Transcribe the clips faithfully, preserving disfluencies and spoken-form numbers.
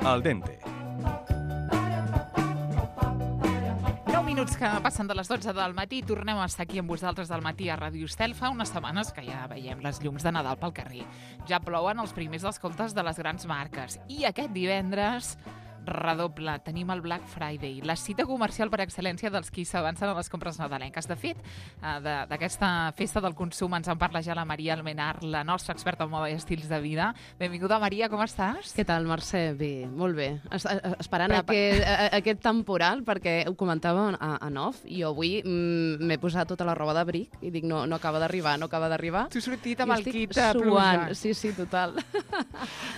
Al dente. nou minuts que passen de les dotze del matí. Tornem a estar aquí amb vosaltres del matí a Ràdio Estel. Fa unes setmanes que ja veiem les llums de Nadal pel carrer. Ja plouen els primers descomptes de les grans marques. I aquest divendres redoble, tenim el Black Friday, la cita comercial per excel·lència dels qui s'avancen a les compres nadalenques. De fet, d'aquesta festa del consum ens en parla ja la Maria Almenar, la nostra experta en moda i estils de vida. Benvinguda, Maria, com estàs? Què tal, Mercè? Bé, molt bé. Es, esperant aquest, aquest temporal, perquè ho comentava en off, i jo avui m'he posat tota la roba d'abric i dic, no, no acaba d'arribar, no acaba d'arribar. Tu has sortit amb el kit de pluja. Sí, sí, total.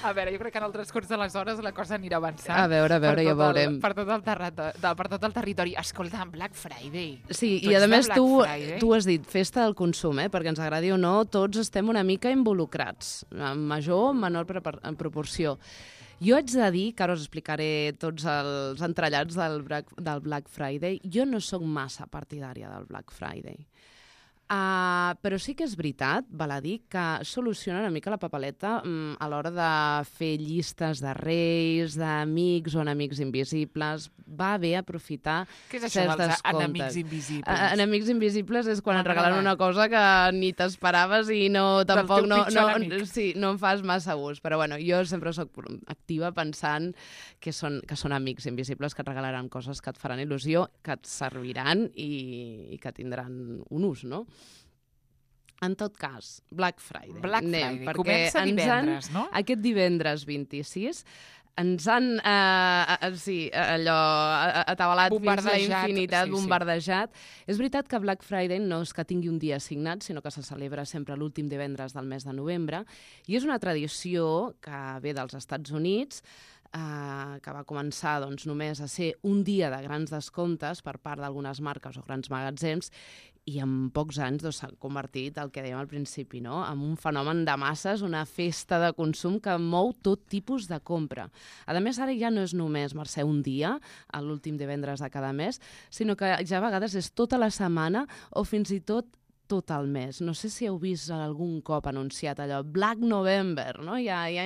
A veure, jo crec que en el transcurs de les hores la cosa anirà avançant. A veure, a veure, ja veurem. El, per, tot el territori, per tot el territori. Escolta, Black Friday. Sí, tu i a més tu, tu has dit festa del consum, eh? Perquè ens agradi o no, tots estem una mica involucrats, en major o menor en proporció. Jo haig de dir, que ara us explicaré tots els entrellats del Black, del Black Friday, jo no sóc massa partidària del Black Friday. Uh, però sí que és veritat, val a dir, que soluciona una mica la papeleta um, a l'hora de fer llistes de reis, d'amics o enemics invisibles. Va bé aprofitar Què és això dels enemics invisibles? Uh, enemics invisibles és quan et regalen una cosa que ni t'esperaves i no, tampoc no, no, sí, no en fas massa ús. Però bueno, jo sempre soc activa pensant que són, que són amics invisibles que et regalaran coses que et faran il·lusió, que et serviran i, i que tindran un ús, no? En tot cas, Black Friday. Black Anem, Friday. Comença divendres, han, no? Aquest divendres vint-i-sis ens han, eh, eh, sí, allò, atabalat fins la infinitat, sí, bombardejat. Sí. És veritat que Black Friday no és que tingui un dia assignat, sinó que se celebra sempre l'últim divendres del mes de novembre, i és una tradició que ve dels Estats Units, Uh, que va començar doncs, només a ser un dia de grans descomptes per part d'algunes marques o grans magatzems, i en pocs anys doncs, s'ha convertit, el que dèiem al principi, no? En un fenomen de masses, una festa de consum que mou tot tipus de compra. A més, ara ja no és només, Mercè, un dia, l'últim divendres de cada mes, sinó que ja a vegades és tota la setmana o fins i tot tot el mes. No sé si heu vist algun cop anunciat allò, Black November, no? Ja, ja,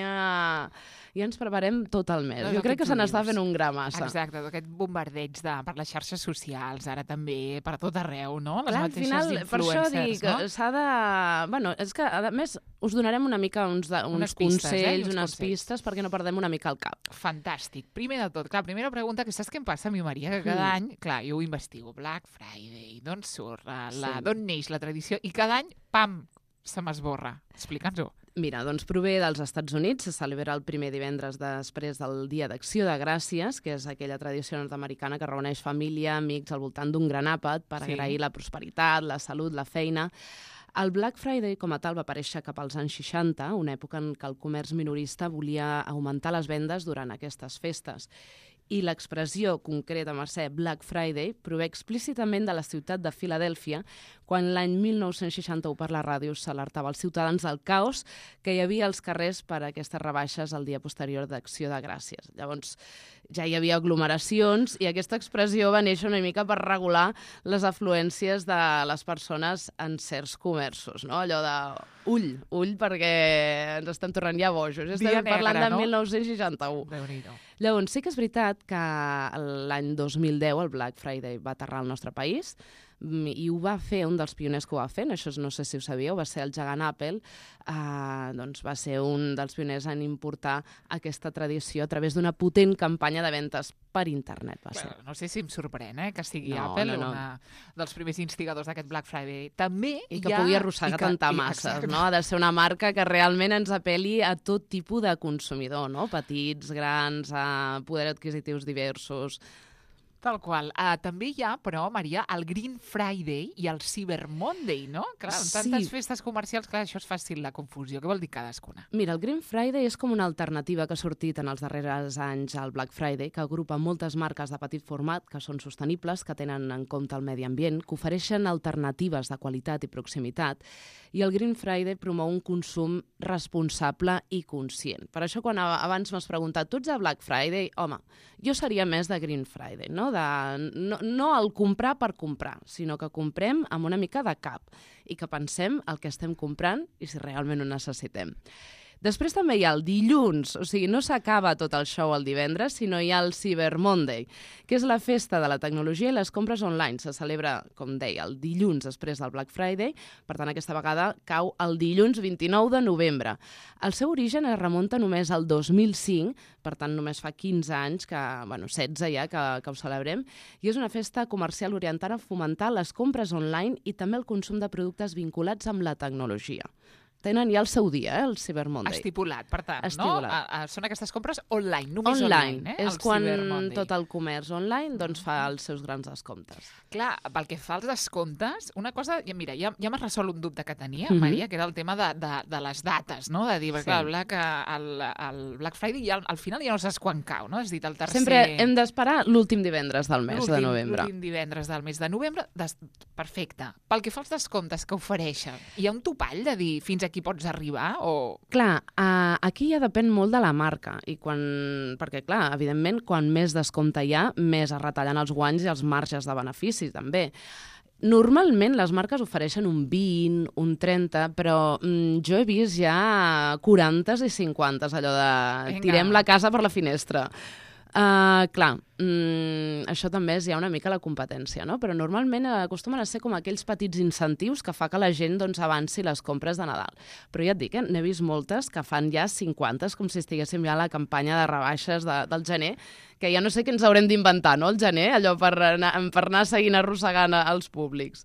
ja ens preparem tot el mes. No, jo crec que se n'està fent un gra massa. Exacte, aquest bombardeig de, per les xarxes socials, ara també per tot arreu, no? Les Clar, mateixes al final, per això dic, no? s'ha de... Bueno, és que, a més, us donarem una mica uns, de, uns pistes, consells, eh? unes consells. pistes, perquè no perdem una mica el cap. Fantàstic. Primer de tot, clar, primera pregunta, que saps què em passa a mi, Maria? Que cada mm. any, clar, jo ho investigo, Black Friday, d'on surt, la, sí. d'on neix la tradició, i cada any, pam, se m'esborra. Explica'ns-ho. Mira, doncs prové dels Estats Units, se celebra el primer divendres després del Dia d'Acció de Gràcies, que és aquella tradició nord-americana que reuneix família, amics al voltant d'un gran àpat per sí. agrair la prosperitat, la salut, la feina. El Black Friday, com a tal, va aparèixer cap als anys seixanta, una època en què el comerç minorista volia augmentar les vendes durant aquestes festes. I l'expressió concreta, Mercè, Black Friday, prové explícitament de la ciutat de Filadèlfia, quan l'any mil nou-cents seixanta-u per la ràdio s'alertava als ciutadans del caos que hi havia als carrers per a aquestes rebaixes el dia posterior d'Acció de Gràcies. Llavors, ja hi havia aglomeracions i aquesta expressió va néixer una mica per regular les afluències de les persones en certs comerços, no? Allò de ull, ull, perquè ens estem tornant ja bojos. Estem Dia parlant negre, de no? mil nou-cents seixanta-u. Déu-n'hi-do. Llavors, sí que és veritat que l'any dos mil deu el Black Friday va aterrar al nostre país i ho va fer un dels pioners que ho va fer, això no sé si ho sabíeu, va ser el gegant Apple, eh, doncs va ser un dels pioners en importar aquesta tradició a través d'una potent campanya de ventes per internet. Va ser. Bueno, no sé si em sorprèn eh, que sigui no, Apple, no, no. una dels primers instigadors d'aquest Black Friday. També I que ha... pugui arrossegar tanta masses, no? Ha de ser una marca que realment ens apel·li a tot tipus de consumidor, no? Petits, grans, a poder adquisitius diversos. Tal qual. Uh, també hi ha, però, Maria, el Green Friday i el Cyber Monday, no? Clar, amb tantes sí. festes comercials, clar, això és fàcil la confusió. Què vol dir cadascuna? Mira, el Green Friday és com una alternativa que ha sortit en els darrers anys al Black Friday, que agrupa moltes marques de petit format que són sostenibles, que tenen en compte el medi ambient, que ofereixen alternatives de qualitat i proximitat, i el Green Friday promou un consum responsable i conscient. Per això, quan abans m'has preguntat, tu ets de Black Friday? Home, jo seria més de Green Friday, no? De, no, no el comprar per comprar, sinó que comprem amb una mica de cap i que pensem el que estem comprant i si realment ho necessitem. Després també hi ha el dilluns, o sigui, no s'acaba tot el show el divendres, sinó hi ha el Cyber Monday, que és la festa de la tecnologia i les compres online. Se celebra, com deia, el dilluns després del Black Friday, per tant aquesta vegada cau el dilluns vint-i-nou de novembre. El seu origen es remunta només al dos mil cinc, per tant només fa quinze anys, que, bueno, setze ja, que, que ho celebrem, i és una festa comercial orientada a fomentar les compres online i també el consum de productes vinculats amb la tecnologia. Tenen ja el seu dia, eh, el Cyber Monday. Estipulat, per tant, Estipulat. no? A, a, són aquestes compres online, només online. online. Eh? És el quan tot el comerç online doncs, fa els seus grans descomptes. Clar, pel que fa als descomptes, una cosa, mira, ja, ja m'has resolt un dubte que tenia, Mhm. Maria, que era el tema de, de, de les dates, no? De dir, Sí. clar, Black, el, el Black Friday ja, al final ja no saps quan cau, no? Has dit el tercer... Sempre hem d'esperar l'últim divendres del mes de novembre. L'últim divendres del mes de novembre. Des... Perfecte. Pel que fa als descomptes que ofereixen, hi ha un topall de dir fins aquí pots arribar o... Clar, uh, aquí ja depèn molt de la marca, i quan... perquè, clar, evidentment, quan més descompte hi ha, més es retallen els guanys i els marges de benefici, també. Normalment les marques ofereixen un vint, un trenta, però mm, jo he vist ja quarantes i cinquantes, allò de Vinga. tirem la casa per la finestra. Uh, clar, mm, això també és ja una mica la competència, no? Però normalment acostumen a ser com aquells petits incentius que fa que la gent doncs, avanci les compres de Nadal. Però ja et dic, eh, n'he vist moltes que fan ja cinquanta, com si estiguéssim ja a la campanya de rebaixes de, del gener, que ja no sé què ens haurem d'inventar, no?, el gener, allò per anar, per anar seguint arrossegant els públics.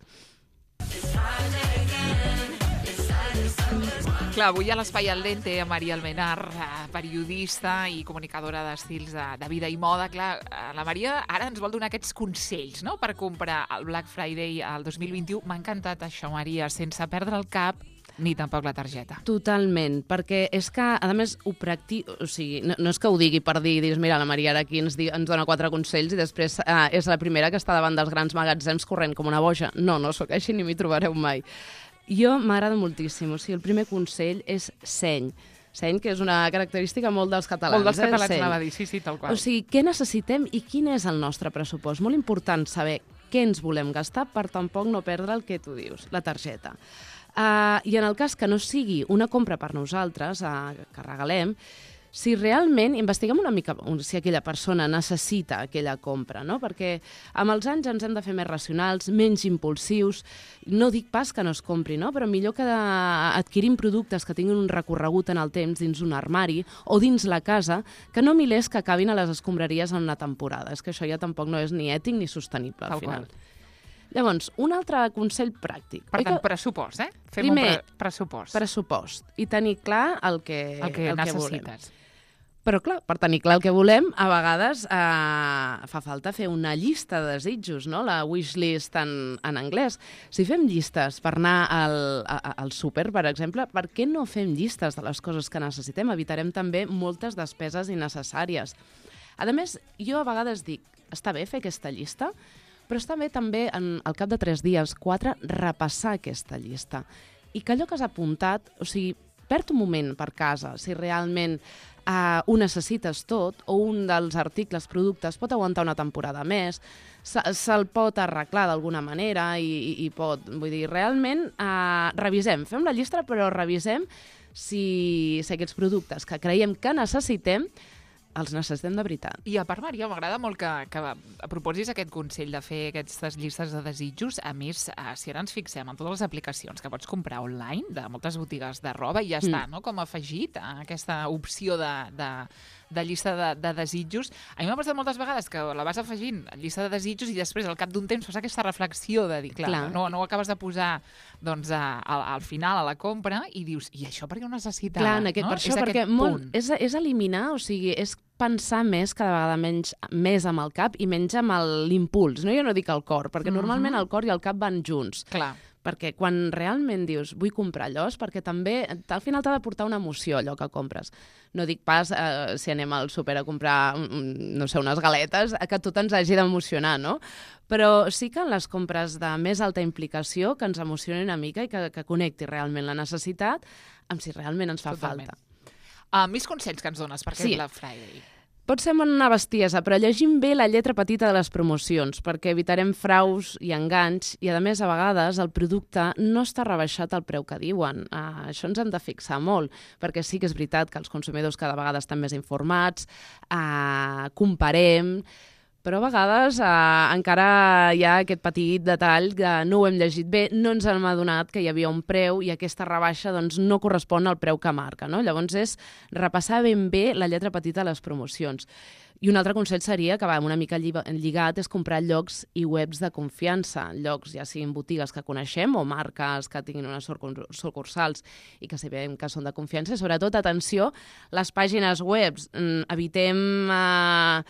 Clar, avui a l'Espai al Dente, a Maria Almenar, periodista i comunicadora d'estils de, de vida i moda. Clar, la Maria ara ens vol donar aquests consells, no?, per comprar el Black Friday al dos mil vint-i-u. M'ha encantat això, Maria, sense perdre el cap ni tampoc la targeta. Totalment, perquè és que, a més, ho practico... O sigui, no, no és que ho digui per dir, dius, mira, la Maria ara aquí ens, di, ens dona quatre consells i després eh, és la primera que està davant dels grans magatzems corrent com una boja. No, no sóc així ni m'hi trobareu mai. Jo m'agrada moltíssim. O sigui, el primer consell és seny. Seny, que és una característica molt dels catalans. Molt dels catalans, eh? anava a dir, sí, sí, tal qual. O sigui, què necessitem i quin és el nostre pressupost? Molt important saber què ens volem gastar per tampoc no perdre el que tu dius, la targeta. Uh, I en el cas que no sigui una compra per nosaltres, uh, que regalem, si realment investiguem una mica si aquella persona necessita aquella compra, no? Perquè amb els anys ens hem de fer més racionals, menys impulsius. No dic pas que no es compri, no? Però millor que adquirim productes que tinguin un recorregut en el temps dins un armari o dins la casa, que no milers que acabin a les escombraries en una temporada. És que això ja tampoc no és ni ètic ni sostenible, al final. Llavors, un altre consell pràctic. Per tant, pressupost, eh? Fem Primer, un pre pressupost. Pressupost. I tenir clar el que, el que el necessites. Que volem. Però, clar, per tenir clar el que volem, a vegades eh, fa falta fer una llista de desitjos, no? La wish list en, en anglès. Si fem llistes per anar al, a, al súper, per exemple, per què no fem llistes de les coses que necessitem? Evitarem també moltes despeses innecessàries. A més, jo a vegades dic, està bé fer aquesta llista, però està bé també, en, al cap de tres dies, quatre, repassar aquesta llista. I que allò que has apuntat, o sigui, perd un moment per casa, si realment uh, ho necessites tot, o un dels articles, productes, pot aguantar una temporada més, se'l se pot arreglar d'alguna manera i, i, i pot, vull dir, realment uh, revisem, fem la llista, però revisem si, si aquests productes que creiem que necessitem els necessitem de veritat. I a part, Maria, m'agrada molt que, que proposis aquest consell de fer aquestes llistes de desitjos. A més, eh, si ara ens fixem en totes les aplicacions que pots comprar online, de moltes botigues de roba, i ja mm. està, no?, com afegit a aquesta opció de, de, de llista de, de desitjos. A mi m'ha passat moltes vegades que la vas afegint a llista de desitjos i després, al cap d'un temps, fas aquesta reflexió de dir, clar, clar. No, no ho acabes de posar doncs, a, a, al final, a la compra, i dius, i això per què ho necessitava? Clar, en aquest, no? per això, és perquè molt, és, és eliminar, o sigui, és pensar més cada vegada menys, més amb el cap i menys amb l'impuls. No? Jo no dic el cor, perquè mm-hmm. normalment el cor i el cap van junts. Clar. Perquè quan realment dius vull comprar allò és perquè també al final t'ha de portar una emoció allò que compres. No dic pas eh, si anem al súper a comprar no sé, unes galetes, que tot ens hagi d'emocionar, no? Però sí que en les compres de més alta implicació que ens emocioni una mica i que, que connecti realment la necessitat amb si realment ens fa Totalment. falta. Uh, més consells que ens dones per aquest sí. Black Friday. Pot ser una bestiesa, però llegim bé la lletra petita de les promocions, perquè evitarem fraus i enganys, i a més, a vegades, el producte no està rebaixat al preu que diuen. Uh, això ens hem de fixar molt, perquè sí que és veritat que els consumidors cada vegada estan més informats, uh, comparem, però a vegades eh, encara hi ha aquest petit detall que no ho hem llegit bé, no ens hem adonat que hi havia un preu i aquesta rebaixa doncs, no correspon al preu que marca. No? Llavors és repassar ben bé la lletra petita de les promocions. I un altre consell seria, que va una mica lligat, és comprar llocs i webs de confiança, llocs ja siguin botigues que coneixem o marques que tinguin unes sucursals i que sabem que són de confiança. I sobretot, atenció, les pàgines web. Evitem eh,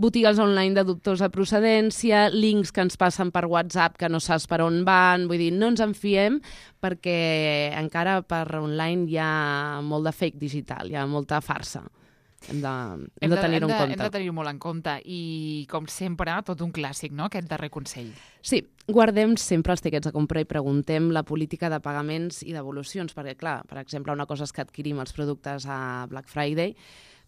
botigues online de dubtosa procedència, links que ens passen per WhatsApp que no saps per on van, vull dir, no ens en fiem perquè encara per online hi ha molt de fake digital, hi ha molta farsa. Hem de, hem de tenir-ho en compte. Hem de tenir-ho molt en compte i, com sempre, tot un clàssic, no?, aquest darrer consell. Sí, guardem sempre els tiquets de compra i preguntem la política de pagaments i devolucions, perquè, clar, per exemple, una cosa és que adquirim els productes a Black Friday,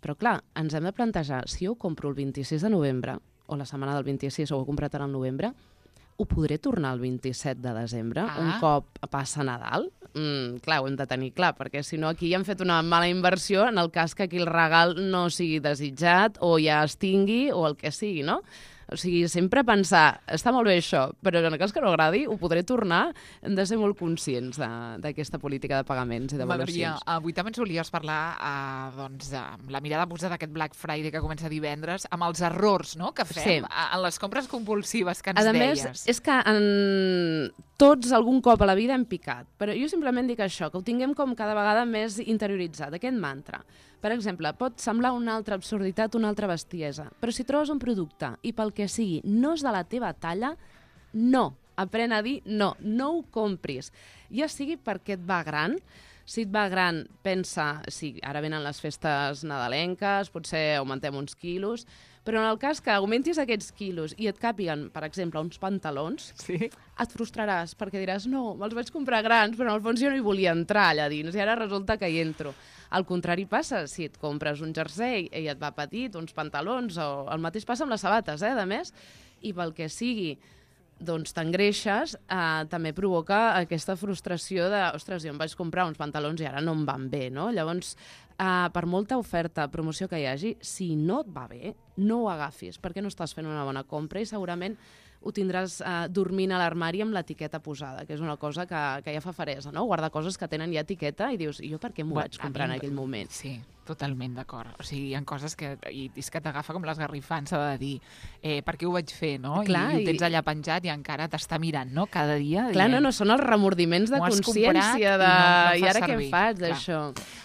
però, clar, ens hem de plantejar, si jo ho compro el vint-i-sis de novembre, o la setmana del vint-i-sis, o ho he comprat ara al novembre, ho podré tornar el vint-i-set de desembre, ah. un cop passa Nadal? Mm, clar, ho hem de tenir clar, perquè si no aquí ja hem fet una mala inversió en el cas que aquí el regal no sigui desitjat o ja es tingui o el que sigui, no? O sigui, sempre pensar, està molt bé això, però en el cas que no agradi, ho podré tornar. Hem de ser molt conscients d'aquesta política de pagaments i devolucions. Maria, avui també ens volies parlar eh, doncs, amb la mirada posada d'aquest Black Friday que comença divendres, amb els errors, no?, que fem sí. en les compres compulsives que ens a deies. A més, és que en... tots algun cop a la vida hem picat, però jo simplement dic això, que ho tinguem com cada vegada més interioritzat, aquest mantra. Per exemple, pot semblar una altra absurditat, una altra bestiesa, però si trobes un producte i pel que sigui no és de la teva talla, no. Aprèn a dir no, no ho compris. Ja sigui perquè et va gran, si et va gran, pensa, sí, ara venen les festes nadalenques, potser augmentem uns quilos, però en el cas que augmentis aquests quilos i et càpiguen, per exemple, uns pantalons, sí. et frustraràs perquè diràs, no, me'ls vaig comprar grans, però en el fons jo no hi volia entrar allà dins i ara resulta que hi entro. Al contrari passa, si et compres un jersei i et va petit, uns pantalons, o el mateix passa amb les sabates, eh, de més, i pel que sigui, doncs t'engreixes, eh, també provoca aquesta frustració de, ostres, jo em vaig comprar uns pantalons i ara no em van bé, no? Llavors, eh, per molta oferta, promoció que hi hagi, si no et va bé, no ho agafis, perquè no estàs fent una bona compra i segurament ho tindràs eh, dormint a l'armari amb l'etiqueta posada, que és una cosa que, que ja fa faresa, no? Guardar coses que tenen ja etiqueta i dius, i jo per què m'ho vaig comprar en aquell moment? Sí, totalment d'acord. O sigui, hi ha coses que, i és que t'agafa com l'esgarrifant, s'ha de dir, eh, per què ho vaig fer, no? Clar, I, i ho tens allà penjat i encara t'està mirant, no? Cada dia. Clar, dient, no, no, són els remordiments de consciència de... I, no, no I ara què em faig d'això?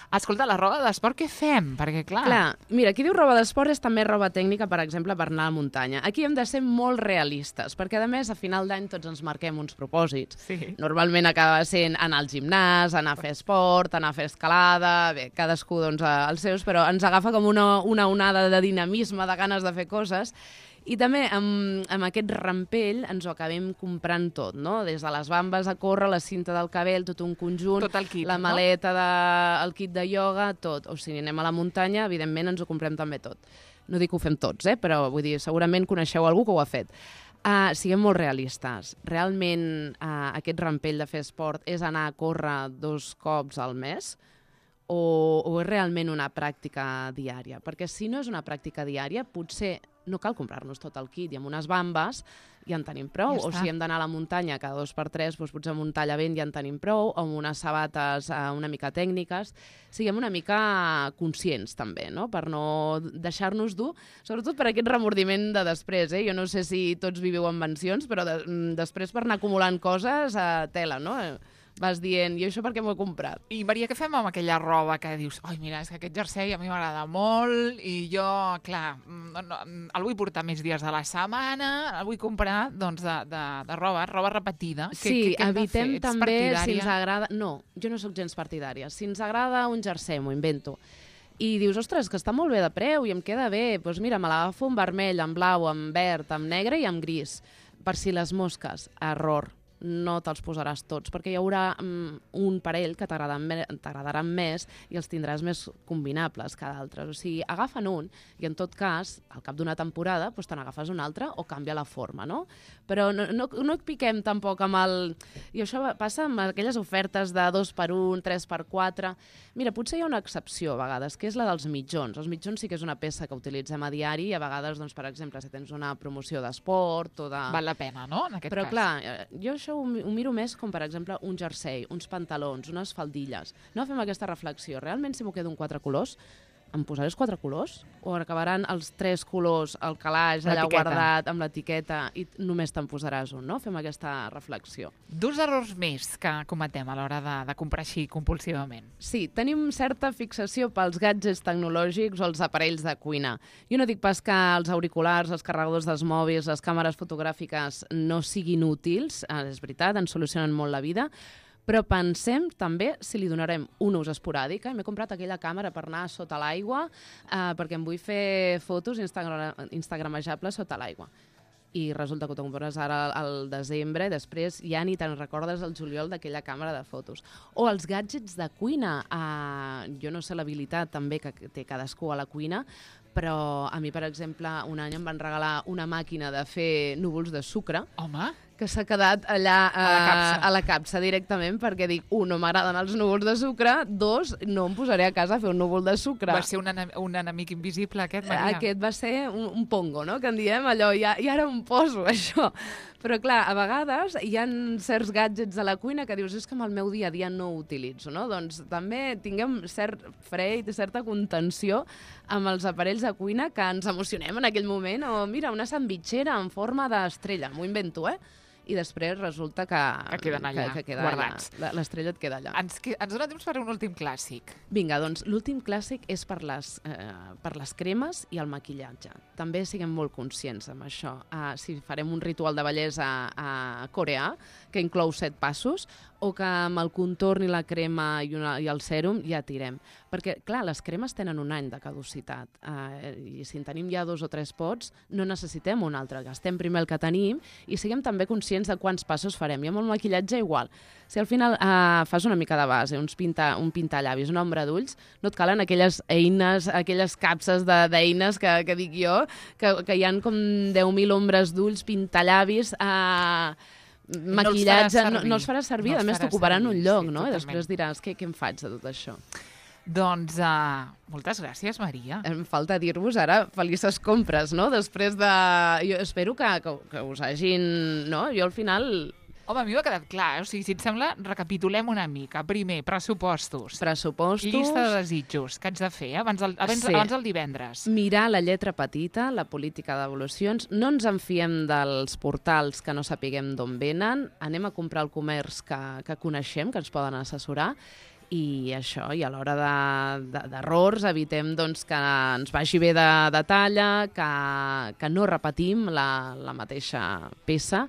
Escolta, la roba d'esport què fem? Perquè, clar... Clar, mira, qui diu roba d'esport és també roba tècnica, per exemple, per anar a la muntanya. Aquí hem de ser molt realistes, perquè, a més, a final d'any tots ens marquem uns propòsits. Sí. Normalment acaba sent anar al gimnàs, anar a fer esport, anar a fer escalada... Bé, cadascú, doncs, els seus, però ens agafa com una, una onada de dinamisme, de ganes de fer coses. I també amb, amb aquest rampell ens ho acabem comprant tot, no? Des de les bambes a córrer, la cinta del cabell, tot un conjunt, tot el kit, la maleta, de, el kit de ioga, tot. O sigui, anem a la muntanya, evidentment ens ho comprem també tot. No dic que ho fem tots, eh? Però vull dir, segurament coneixeu algú que ho ha fet. Uh, siguem molt realistes. Realment uh, aquest rampell de fer esport és anar a córrer dos cops al mes? O, o és realment una pràctica diària? Perquè si no és una pràctica diària, potser no cal comprar-nos tot el kit i amb unes bambes ja en tenim prou. Ja o si hem d'anar a la muntanya cada dos per tres, doncs potser amb un tallavent ja en tenim prou, o amb unes sabates eh, una mica tècniques. Siguem una mica conscients també, no? Per no deixar-nos dur, sobretot per aquest remordiment de després. Eh? Jo no sé si tots viviu en mansions, però de, després per anar acumulant coses a eh, tela, no? Vas dient, i això per què m'ho he comprat? I Maria, què fem amb aquella roba que dius, ai, mira, és que aquest jersei a mi m'agrada molt i jo, clar, no, no, el vull portar més dies de la setmana, el vull comprar, doncs, de, de, de roba, roba repetida. Sí, què, què evitem també si ens agrada... No, jo no sóc gens partidària. Si ens agrada un jersei, m'ho invento, i dius, ostres, que està molt bé de preu i em queda bé, doncs mira, me l'agafo en vermell, en blau, en verd, en negre i en gris. Per si les mosques, error. no te'ls posaràs tots, perquè hi haurà um, un parell que t'agradaran més i els tindràs més combinables que d'altres. O sigui, agafa'n un i en tot cas, al cap d'una temporada, doncs te n'agafes un altre o canvia la forma, no? Però no, no, no piquem tampoc amb el... I això passa amb aquelles ofertes de dos per un, tres per quatre... Mira, potser hi ha una excepció a vegades, que és la dels mitjons. Els mitjons sí que és una peça que utilitzem a diari i a vegades, doncs, per exemple, si tens una promoció d'esport o de... Val la pena, no?, en aquest Però, cas. Però clar, jo això ho, ho miro més com, per exemple, un jersei, uns pantalons, unes faldilles. No fem aquesta reflexió. Realment, si m'ho quedo en quatre colors, em posaré els quatre colors? O acabaran els tres colors, el calaix allà guardat amb l'etiqueta i només te'n posaràs un, no? Fem aquesta reflexió. Dos errors més que cometem a l'hora de, de comprar així compulsivament. Sí, tenim certa fixació pels gadgets tecnològics o els aparells de cuina. Jo no dic pas que els auriculars, els carregadors dels mòbils, les càmeres fotogràfiques no siguin útils, és veritat, ens solucionen molt la vida, però pensem també si li donarem un ús esporàdic. M'he comprat aquella càmera per anar sota l'aigua eh, perquè em vull fer fotos instagra instagramejables sota l'aigua. I resulta que t'ho compres ara al desembre i després ja ni te'n recordes el juliol d'aquella càmera de fotos. O els gadgets de cuina. Eh, jo no sé l'habilitat també que té cadascú a la cuina, però a mi, per exemple, un any em van regalar una màquina de fer núvols de sucre. Home! Que s'ha quedat allà a, a, la capsa. a la capsa directament, perquè dic, un, no m'agraden els núvols de sucre, dos, no em posaré a casa a fer un núvol de sucre. Va ser un, un enemic invisible, aquest, Maria? Aquest va ser un, un pongo, no?, que en diem allò, i, i ara em poso, això. Però, clar, a vegades hi ha certs gadgets a la cuina que dius, és que amb el meu dia a dia no ho utilitzo, no? Doncs també tinguem cert fre i certa contenció amb els aparells de cuina que ens emocionem en aquell moment, o mira, una sandvitxera en forma d'estrella, m'ho invento, eh? I després resulta que... Que queden allà, que, que queda guardats. L'estrella et queda allà. Ens, que, ens dona temps per un últim clàssic. Vinga, doncs l'últim clàssic és per les, eh, per les cremes i el maquillatge. També siguem molt conscients amb això. Uh, si farem un ritual de bellesa uh, coreà, que inclou set passos, o que amb el contorn i la crema i, una, i el sèrum ja tirem. Perquè, clar, les cremes tenen un any de caducitat. Uh, I si en tenim ja dos o tres pots, no necessitem un altre. Gastem primer el que tenim i siguem també conscients de quants passos farem. I amb el maquillatge igual. Si al final uh, fas una mica de base, uns pinta, un pintallavis, una ombra d'ulls, no et calen aquelles eines, aquelles capses d'eines que, que dic jo, que, que hi ha com deu mil ombres d'ulls, pintallavis... Uh, maquillatge, no, no els faràs servir, no a més t'ocuparan un lloc, sí, no? I després diràs, què, què em faig de tot això? Doncs uh, moltes gràcies, Maria. Em falta dir-vos ara felices compres, no? Després de... Jo espero que, que, que us hagin... No? Jo al final... Home, a mi m'ha quedat clar, eh? O sigui, si et sembla, recapitulem una mica. Primer, pressupostos. Pressupostos. Llista de desitjos que haig de fer, eh? abans, del, abans, sí. abans del divendres. Mirar la lletra petita, la política devolucions. No ens en fiem dels portals que no sapiguem d'on venen. Anem a comprar al comerç que, que coneixem, que ens poden assessorar. I això, i a l'hora d'errors, de, de, evitem doncs, que ens vagi bé de, de talla, que, que no repetim la, la mateixa peça.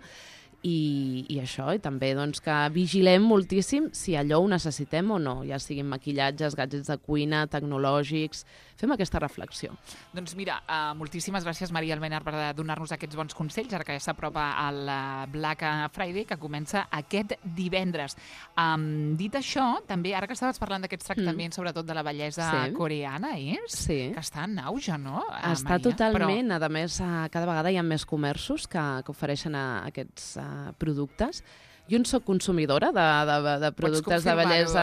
I, i això, i també doncs, que vigilem moltíssim si allò ho necessitem o no, ja siguin maquillatges, gadgets de cuina, tecnològics... Fem aquesta reflexió. Doncs mira, uh, moltíssimes gràcies, Maria Almenar, per donar-nos aquests bons consells, ara que ja s'apropa el Black Friday, que comença aquest divendres. Um, dit això, també, ara que estaves parlant d'aquests tractaments, mm. sobretot de la bellesa sí. coreana, és? Sí. Que està en auge, no, uh, Està Maria? totalment, Però... a més, uh, cada vegada hi ha més comerços que, que ofereixen uh, aquests uh, productes. Jo en soc consumidora de, de, de productes de bellesa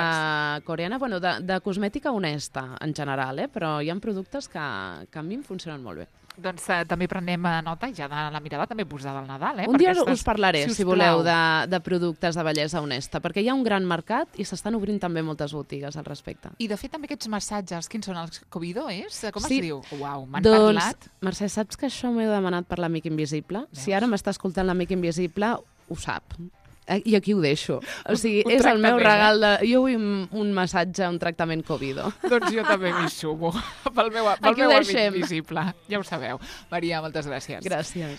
coreana, bueno, de, de cosmètica honesta en general, eh? Però hi ha productes que, que a mi em funcionen molt bé. Doncs uh, també prenem nota, ja de la mirada també posada al Nadal. Eh? Un dia estàs... us parlaré, si, si voleu, de, de productes de bellesa honesta, perquè hi ha un gran mercat i s'estan obrint també moltes botigues al respecte. I de fet també aquests massatges, quins són els Covido, és? Com sí. es diu? Uau, m'han doncs, parlat. Mercè, saps que això m'he demanat per l'Amic Invisible? Veus? Si ara m'està escoltant l'Amic Invisible, ho sap. I aquí ho deixo. O sigui, un, un és el meu regal de... Jo vull un, un massatge, un tractament Covido. Doncs jo també m'hi sumo. Pel meu, pel meu amic invisible. Ja ho sabeu. Maria, moltes gràcies. Gràcies.